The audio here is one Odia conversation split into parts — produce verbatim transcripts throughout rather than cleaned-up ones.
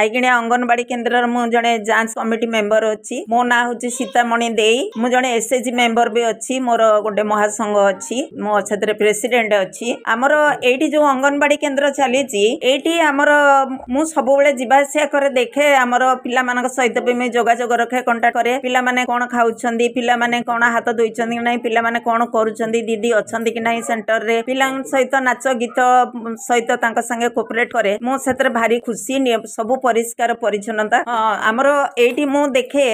ଆଇଗିଣିଆ ଅଙ୍ଗନବାଡି କେନ୍ଦ୍ରର ମୁଁ ଜଣେ ଯାଞ୍ଚ କମିଟି ମେମ୍ବର ଅଛି। ମୋ ନାଁ ହେଉଛି ସୀତାମଣି ଦେଇ। ମୁଁ ଜଣେ ଏସ୍ଏଚଜି ମେମ୍ବର ବି ଅଛି। ମୋର ଗୋଟେ ମହାସଂଘ ଅଛି, ମୁଁ ସେଥିରେ ପ୍ରେସିଡେଣ୍ଟ ଅଛି। ଆମର ଏଇଠି ଯୋଉ ଅଙ୍ଗନବାଡି କେନ୍ଦ୍ର ଚାଲିଛି, ଏଇଠି ଆମର ମୁଁ ସବୁବେଳେ ଯିବା ଆସିବା କରେ, ଦେଖେ। ଆମର ପିଲାମାନଙ୍କ ସହିତ ବି ମୁଁ ଯୋଗାଯୋଗ ରଖେ, କଣ୍ଟାକ୍ଟ କରେ। ପିଲାମାନେ କଣ ଖାଉଛନ୍ତି, ପିଲାମାନେ କଣ ହାତ ଧୋଇଛନ୍ତି କି ନାହିଁ, ପିଲାମାନେ କଣ କରୁଛନ୍ତି, ଦିଦି ଅଛନ୍ତି କି ନାହିଁ ସେଣ୍ଟରରେ, ପିଲାଙ୍କ ସହିତ ନାଚ ଗୀତ ସହିତ ତାଙ୍କ ସାଙ୍ଗେ କୋପରେଟ କରେ। ମୁଁ ସେଥିରେ ଭାରି ଖୁସି। ସବୁ ପରିଷ୍କାର ପରିଚ୍ଛନ୍ନତା ଆମର ଏଇଠି। ମୁଁ ଦେଖେ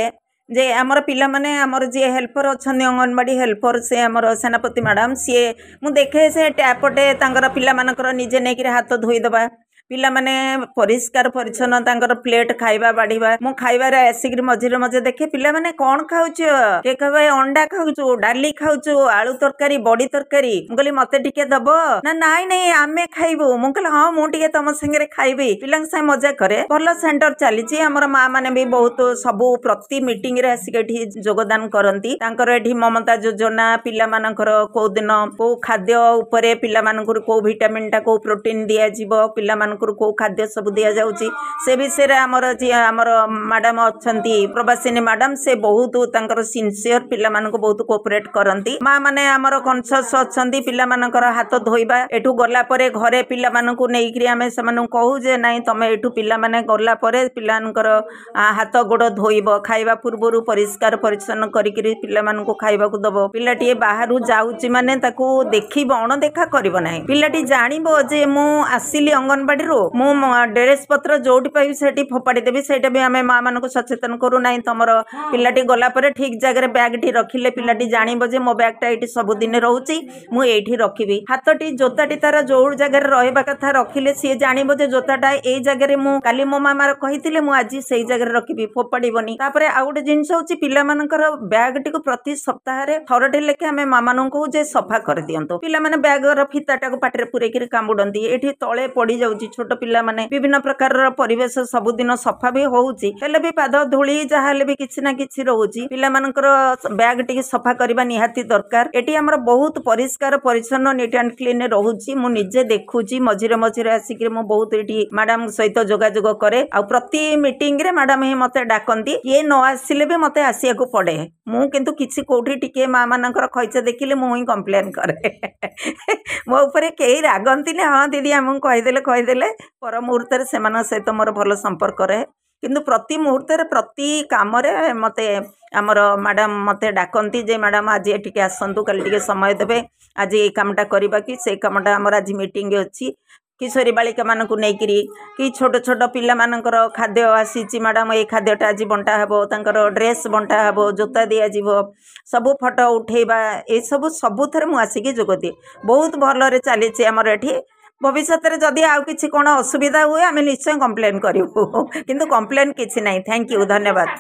ଯେ ଆମର ପିଲାମାନେ, ଆମର ଯିଏ ହେଲ୍ପର ଅଛନ୍ତି, ଅଙ୍ଗନବାଡ଼ି ହେଲ୍ପର, ସେ ଆମର ସେନାପତି ମ୍ୟାଡ଼ାମ, ସିଏ ମୁଁ ଦେଖେ ସେ ଟ୍ୟାପଟେ ତାଙ୍କର ପିଲାମାନଙ୍କର ନିଜେ ନେଇକିରି ହାତ ଧୋଇଦେବା, ପିଲାମାନେ ପରିଷ୍କାର ପରିଚ୍ଛନ୍ନ, ତାଙ୍କର ପ୍ଲେଟ୍ ଖାଇବା ବାଢ଼ିବା। ମୁଁ ଖାଇବାରେ ଆସିକିରି ମଝିରେ ମଝିରେ ଦେଖେ ପିଲାମାନେ କଣ ଖାଉଛ। କିଏ କହିବ ଅଣ୍ଡା ଖାଉଛୁ, ଡାଲି ଖାଉଛୁ, ଆଳୁ ତରକାରୀ, ବଡି ତରକାରୀ। ମୁଁ କହିଲି ମତେ ଟିକେ ଦବ ନା? ନାଇଁ ନାଇଁ, ଆମେ ଖାଇବୁ। ମୁଁ କହିଲି ହଁ, ମୁଁ ଟିକେ ତମ ସାଙ୍ଗରେ ଖାଇବି। ପିଲାଙ୍କ ସାଙ୍ଗେ ମଜା କରେ। ଭଲ ସେଣ୍ଟର ଚାଲିଛି ଆମର। ମା ମାନେ ବି ବହୁତ ସବୁ ପ୍ରତି ମିଟିଂରେ ଆସିକି ଏଠି ଯୋଗଦାନ କରନ୍ତି। ତାଙ୍କର ଏଠି ମମତା ଯୋଜନା, ପିଲାମାନଙ୍କର କୋଉ ଦିନ କୋଉ ଖାଦ୍ୟ ଉପରେ, ପିଲାମାନଙ୍କର କୋଉ ଭିଟାମିନଟା, କୋଉ ପ୍ରୋଟିନ ଦିଆଯିବ, ପିଲାମାନଙ୍କୁ କୋଉ ଖାଦ୍ୟ ସବୁ ଦିଆଯାଉଛି, ସେ ବିଷୟରେ ଆମର ଯିଏ ଆମର ମ୍ୟାଡାମ ଅଛନ୍ତି, ପ୍ରବାସିନୀ ମ୍ୟାଡାମ, ସେ ବହୁତ ତାଙ୍କର ସିନସିୟର, ପିଲାମାନଙ୍କୁ ବହୁତ କୋପରେଟ କରନ୍ତି। ମା ମାନେ ଆମର କନସିୟସ ଅଛନ୍ତି। ପିଲାମାନଙ୍କର ହାତ ଧୋଇବା, ଏଠୁ ଗଲା ପରେ ଘରେ ପିଲାମାନଙ୍କୁ ନେଇକିରି ଆମେ ସେମାନଙ୍କୁ କହୁ ଯେ ନାଇଁ, ତମେ ଏଠୁ ପିଲାମାନେ ଗଲା ପରେ ପିଲାମାନଙ୍କର ହାତ ଗୋଡ଼ ଧୋଇବ, ଖାଇବା ପୂର୍ବରୁ ପରିଷ୍କାର ପରିଚ୍ଛନ୍ନ କରିକିରି ପିଲାମାନଙ୍କୁ ଖାଇବାକୁ ଦବ। ପିଲାଟିଏ ବାହାରୁ ଯାଉଛି ମାନେ ତାକୁ ଦେଖିବ, ଅଣଦେଖା କରିବ ନାହିଁ। ପିଲାଟି ଜାଣିବ ଯେ ମୁଁ ଆସିଲି ଅଙ୍ଗନବାଡ଼ିରୁ, ମୁଁ ଡ୍ରେସ ପତ୍ର ଯୋଉଠି ପାଇବି ସେଠି ଫୋପାଡ଼ି ଦେବି। ସେଇଟା ବି ଆମେ ମା ମାନଙ୍କୁ ସଚେତନ କରୁ, ନାହିଁ, ତମର ପିଲାଟି ଗଲା ପରେ ଠିକ ଜାଗାରେ ବ୍ୟାଗଟି ରଖିଲେ ପିଲାଟି ଜାଣିବ ଯେ ମୋ ବ୍ୟାଗଟା ଏଇଠି ସବୁଦିନ ରହୁଛି, ମୁଁ ଏଇଠି ରଖିବି। ହାତଟି, ଜୋତାଟି ତାର ଯୋଉ ଜାଗାରେ ରହିବା କଥା ରଖିଲେ ସିଏ ଜାଣିବ ଯେ ଜୋତାଟା ଏଇ ଜାଗାରେ, ମୁଁ କାଲି ମୋ ମାମା କହିଥିଲେ, ମୁଁ ଆଜି ସେଇ ଜାଗାରେ ରଖିବି, ଫୋପାଡ଼ିବନି। ତାପରେ ଆଉ ଗୋଟେ ଜିନିଷ ହଉଛି ପିଲାମାନଙ୍କର ବ୍ୟାଗଟିକୁ ପ୍ରତି ସପ୍ତାହରେ ଥରଟେ ଲେଖେ ଆମେ ମା ମାନଙ୍କୁ କହୁ ଯେ ସଫା କରିଦିଅନ୍ତୁ। ପିଲାମାନେ ବ୍ୟାଗର ଫିତାଟାକୁ ପାଟିରେ ପୁରେଇକିରି କାମୁଡନ୍ତି, ଏଠି ତଳେ ପଡିଯାଉଛି। ଛୋଟ ପିଲାମାନେ, ବିଭିନ୍ନ ପ୍ରକାରର ପରିବେଶ, ସବୁଦିନ ସଫା ବି ହଉଛି, ହେଲେ ବି ପାଦ ଧୂଳି ଯାହା ହେଲେ ବି କିଛି ନା କିଛି ରହୁଛି। ପିଲାମାନଙ୍କର ବ୍ୟାଗ ଟିକେ ସଫା କରିବା ନିହାତି ଦରକାର। ଏଠି ଆମର ବହୁତ ପରିଷ୍କାର ପରିଚ୍ଛନ୍ନ, ନିଟ୍ ଆଣ୍ଡ କ୍ଲିନ ରହୁଛି। ମୁଁ ନିଜେ ଦେଖୁଛି, ମଝିରେ ମଝିରେ ଆସିକିରି ମୁଁ ବହୁତ ଏଠି ମ୍ୟାଡାମ ସହିତ ଯୋଗାଯୋଗ କରେ। ଆଉ ପ୍ରତି ମିଟିଂରେ ମ୍ୟାଡାମ ହିଁ ମତେ ଡାକନ୍ତି। କିଏ ନ ଆସିଲେ ବି ମତେ ଆସିବାକୁ ପଡେ। ମୁଁ କିନ୍ତୁ କିଛି କୋଉଠି ଟିକେ ମା ମାନଙ୍କର ଖଇଚା ଦେଖିଲେ ମୁଁ ହିଁ କମ୍ପ୍ଲେନ କରେ। ମୋ ଉପରେ କେହି ରାଗନ୍ତିନି। ହଁ ଦିଦି, ଆମକୁ କହିଦେଲେ କହିଦେଲେ। ପର ମୁହୂର୍ତ୍ତରେ ସେମାନଙ୍କ ସହିତ ମୋର ଭଲ ସମ୍ପର୍କ ରହେ। କିନ୍ତୁ ପ୍ରତି ମୁହୂର୍ତ୍ତରେ, ପ୍ରତି କାମରେ ମତେ ଆମର ମ୍ୟାଡାମ ମତେ ଡାକନ୍ତି ଯେ ମ୍ୟାଡାମ ଆଜି ଟିକେ ଆସନ୍ତୁ, କାଲି ଟିକେ ସମୟ ଦେବେ, ଆଜି ଏଇ କାମଟା କରିବା କି ସେଇ କାମଟା, ଆମର ଆଜି ମିଟିଂ ଅଛି। କିଶୋରୀ ବାଳିକାମାନଙ୍କୁ ନେଇକିରି କି ଛୋଟ ଛୋଟ ପିଲାମାନଙ୍କର ଖାଦ୍ୟ ଆସିଛି, ମ୍ୟାଡାମ ଏଇ ଖାଦ୍ୟଟା ଆଜି ବଣ୍ଟା ହେବ, ତାଙ୍କର ଡ୍ରେସ୍ ବଣ୍ଟା ହେବ, ଜୋତା ଦିଆଯିବ, ସବୁ ଫଟୋ ଉଠେଇବା, ଏସବୁ ସବୁଥିରେ ମୁଁ ଆସିକି ଯୋଗ ଦିଏ। ବହୁତ ଭଲରେ ଚାଲିଛି ଆମର ଏଠି। ଭବିଷ୍ୟତରେ ଯଦି ଆଉ କିଛି କ'ଣ ଅସୁବିଧା ହୁଏ, ଆମେ ନିଶ୍ଚୟ କମ୍ପ୍ଲେନ୍ କରିବୁ। କିନ୍ତୁ କମ୍ପ୍ଲେନ୍ କିଛି ନାହିଁ। Thank you, ଧନ୍ୟବାଦ।